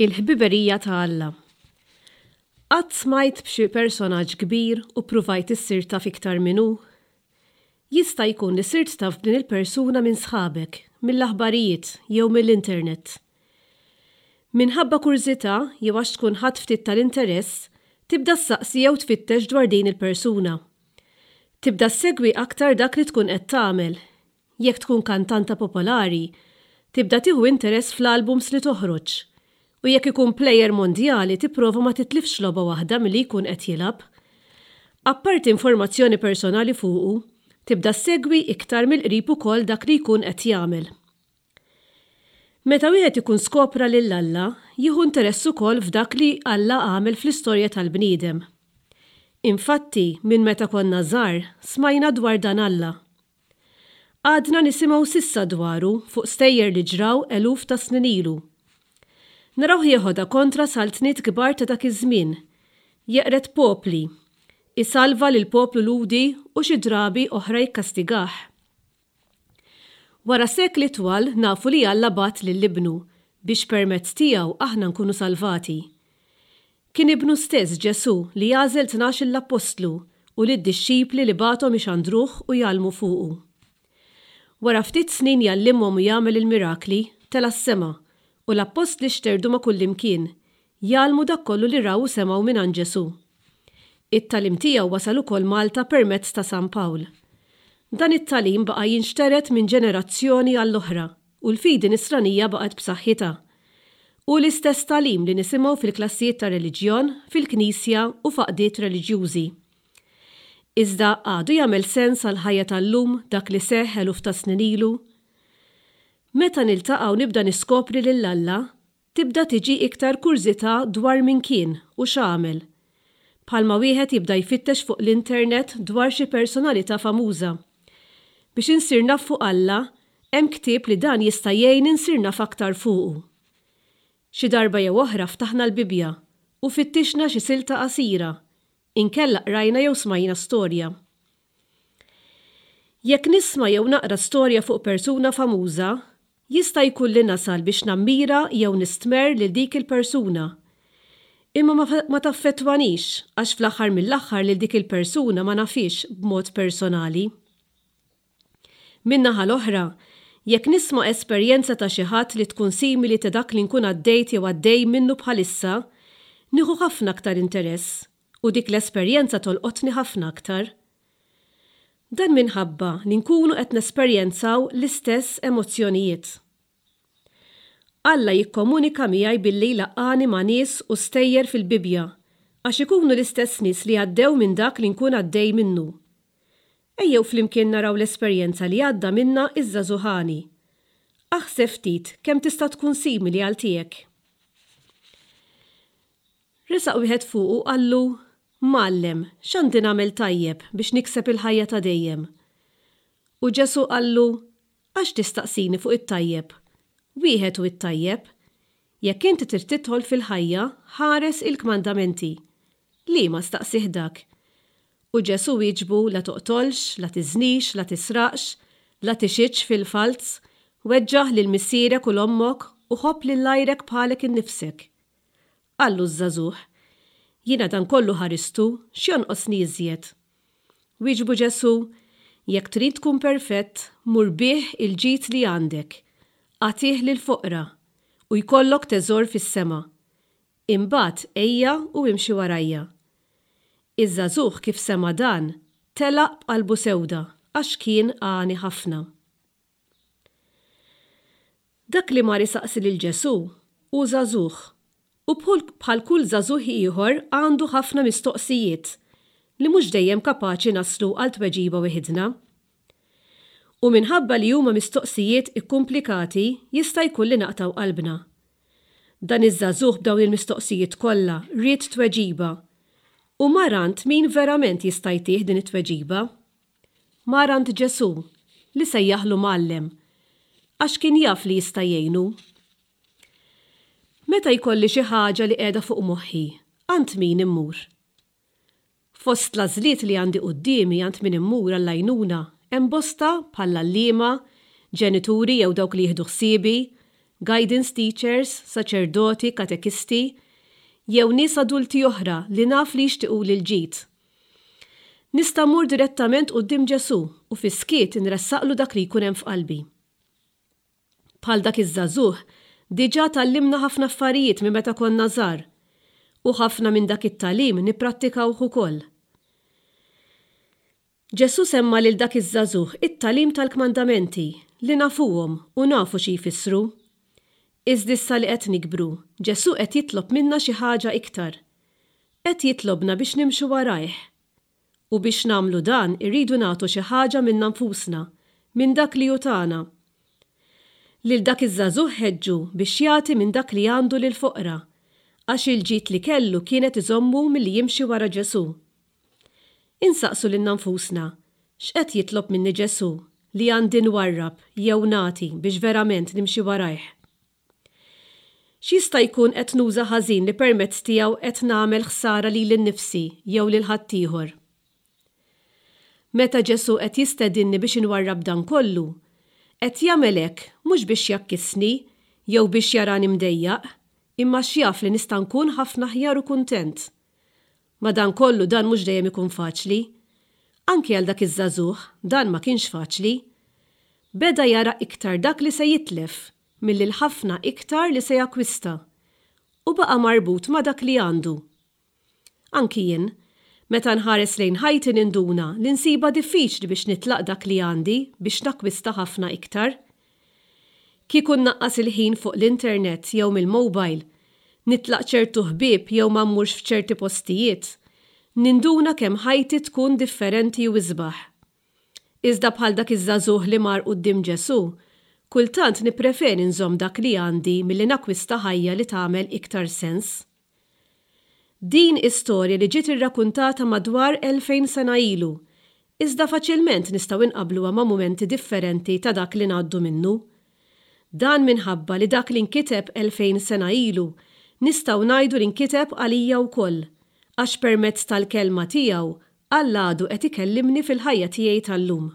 Il-ħbiberija ta' Alla. Qatt smajt b'xi personaġġ kbir u ppruvajt issir taf iktar min hu? Jista' jkun li sirt taf b'din il-persuna minn sħabek, mill-aħbarijiet jew mill-internet. Minħabba kurżità jew għax tkun ħadt ftit tal-interess, tibda ssaqsi jew tfittex dwar din il-persuna. Tibda ssegwi aktar dak li tkun qed tagħmel Jekk tkun kantanta popolari, tibda tieħu interess fl-albums li toħroġ. U jekk ikun plejer mondjali tipprova ma titlifx logħba waħda milli jkun qed jilgħab. Apparti informazzjoni personali fuqu, tibda ssegwi iktar mill-qrib ukoll dak li jkun qed jagħmel. Meta wieħed ikun skopra lil Alla, jieħu interess ukoll f'dak li Alla għamel fl-istorja tal-bniedem. Infatti, minn meta konna żgħar, smajna dwar dan Alla. Għadna nisimgħu s'issa dwaru fuq stejjer li ġraw eluf ta' snin ilu. Narawh jeħodha kontra saltniet kbar ta' dak iż-żmien, jeqred popli, isalva lill-poplu Lhudi u xi drabi oħra jikkastigah. Wara sekli twal nafu li Alla bagħat lil Ibnu biex permezz tiegħu aħna nkunu salvati. Kien Ibnu stess, Ġesù, li għażel tnax-il appostlu u lid-dixxipli li bagħathom ixandruh u jgħallmu fuqu. Wara ftit snin jgħallimhom u jagħmel il-mirakli, tela' s-sema, u l-appostli xterdu ma' kullimkien, jgħallmu dak kollu li raw u semgħu mingħand Ġesù. It-tagħlim tiegħu wasal ukoll Malta permezz ta' San Pawl. Dan it-tagħlim baqa' jinxtered minn ġenerazzjoni għall-oħra, u l-fidi Nisranija baqgħet b'saħħitha. Hu l-istess tagħlim li nisimgħu fil-klassijiet tar-reliġjon, fil-knisja u f'għaqdiet reliġjużi. Iżda għadu jagħmel sens għall-ħajja tal-lum dak li seħħ eluf ta' snin ilu? Meta niltaqa' u nibda niskopri lil Alla, Tibda tiġi iktar kurżità dwar min kien u x'għamel. Bħalma wieħed jibda jfittex fuq l-internet dwar xi personalità famuża. Biex insir naf fuq Alla, hemm ktieb li dan jista' jgħinni nsir naf aktar fuqu. Xi darba jew oħra ftaħna l-Bibbja u fittixna xi silta qasira, inkella qrajna jew smajna storja. Jekk nisma' jew naqra storja fuq persuna famuża, jista' jkun li nasal biex nammira jew nistmerr lil dik il-persuna. Imma ma ma taffettwanix għax fl-aħħar mill-aħħar lil dik il-persuna ma nafhiex b'mod personali. Min-naħa l-oħra, jekk nisma' esperjenza ta' xi ħadd li tkun simili ta' dak li nkun għaddejt jew għaddej minnu bħalissa, nieħu ħafna aktar interess u dik l-esperjenza tolqotni ħafna aktar. Dan minħabba li nkunu qed nesperjenzaw l-istess emozzjonijiet. Alla jikkomunika miegħi billi jlaqqagħni ma' nies u stejjer fil-Bibbja, għax ikunu l-istess nies li għaddew minn dak li nkun għaddej minnu. Ejjew flimkien naraw l-esperjenza li għadda minnha ż-żagħżugħ għani. Aħseb ftit kemm tista' tkun simili għal tiegħek. Resaq wieħed fuqu u qallu, Mgħallem, x'għandi nagħmel tajjeb biex nikseb il-ħajja ta' dejjem? U Ġesù qallu, Għax tistaqsini fuq it-tajjeb? Wieħed hu t-tajjeb. Jekk inti trid tidħol fil-ħajja, ħares il-kmandamenti. Liema staqsieh dak. U Ġesù wieġbu, La toqtolx, la tiżnix, la tisraqx, la tixhidx fil-falz, weġġaħ lil missierek u 'l ommok, u ħobb lil għajrek bħalek innifsek. Qallu ż-żagħżugħ, Jiena dan kollu ħaristu, x'jonqosni iżjed? Wieġbu Ġesù, Jekk trid tkun perfett, mur bigħ il-ġid li għandek, agħtih lill-foqra, u jkollok teżor fis-sema. Imbagħad ejja u imxi warajja. Iż-żagħżugħ kif sema' dan, telaq b'qalbu sewda, għax kien għani ħafna. Dak li mar isaqsi lil Ġesù hu żagħżugħ, u bħal kull żagħżugħ ieħor għandu ħafna mistoqsijiet li mhux dejjem kapaċi naslu għal tweġiba weħidna. U minħabba li huma mistoqsijiet ikkumplikati jista' jkun li naqtgħu qalbna. Dan iż-żagħżugħ b'dawn il-mistoqsijiet kollha ried tweġiba, u mar għand min verament jista' jtih din it-tweġiba. Mar għand Ġesù, li sejjaħlu Mgħallem, għax kien jaf li jista' jgħinu. Meta jkolli xi ħaġa li qiegħda fuq moħħi, għand min immur? Fost l-għażliet li għandi quddiemi għand min immur għall-għajnuna hemm bosta bħall-għalliema, ġenituri jew dawk li jieħdu ħsiebi, guidance teachers, saċerdoti, katekisti, jew nies adulti oħra li naf li jixtiquli l-ġid. Nista' mmur direttament quddiem Ġesù u fis-skiet inressaqlu dak li jkun hemm f'qalbi. Bħal dak iż-żagħżugħ, diġà tgħallimna ħafna affarijiet minn meta konna żgħar. U ħafna minn dak it-tagħlim nipprattikawh ukoll. Ġesù semma lil dak iż-żagħżugħ it-tagħlim tal-kmandamenti, li nafuhom u nafu xi jfissru. Iżda issa li qed nikbru, Ġesù qed jitlob minna xi ħaġa iktar. Qed jitlobna biex nimxu warajh. U biex nagħmlu dan irridu nagħtu xi ħaġa minna nfusna, minn dak li hu tagħna. Lil dak iż-żagħżugħ ħeġġu biex jagħti minn dak li għandu lill-foqra, għax il-ġid li kellu kien qed iżommu milli jimxi wara Ġesù. Insaqsu lilna nfusna, x'qed jitlob minni Ġesù li għandi nwarrab jew nagħti biex verament nimxi warajh? X'jista' jkun qed nuża ħażin li permezz tiegħu qed nagħmel ħsara lili nnifsi jew lil ħaddieħor? Meta Ġesù qed jistedinni biex inwarrab dan kollu, qed jagħmel hekk mhux biex jgħakkisni jew biex jarani mdejjaq, imma għax jaf li nista' nkun ħafna aħjar u kuntent. Madankollu dan mhux dejjem ikun faċli. Anki għal dak iż-żagħżugħ dan ma kienx faċli. Beda jara iktar dak li se jitlef milli l-ħafna iktar li se jakkwista, u baqa' marbut ma' dak li għandu. Anki jien, meta nħares lejn ħajti ninduna li nsibha diffiċli biex nitlaq dak li għandi biex nakkwista ħafna iktar. Kieku nnaqqas il-ħin fuq l-internet jew mill-mobile, nitlaq ċertu ħbieb jew ma mmurx f'ċerti postijiet, ninduna kemm ħajti tkun differenti u isbaħ. Iżda bħal dak iż-żagħżugħ li mar quddiem Ġesù, kultant nippreferi nżomm dak li għandi milli nakkwista ħajja li tagħmel iktar sens. Din hi storja li ġiet irrakuntata madwar 2000 sena ilu, iżda faċilment nistgħu nqabbluha ma' mumenti differenti ta' dak li ngħaddu minnu. Dan minħabba li dak li nkiteb 2000 sena ilu nistgħu ngħidu li nkiteb għalija wkoll, għax permezz tal-Kelma tiegħu Alla għadu qed ikellimni fil-ħajja tiegħi tal-lum.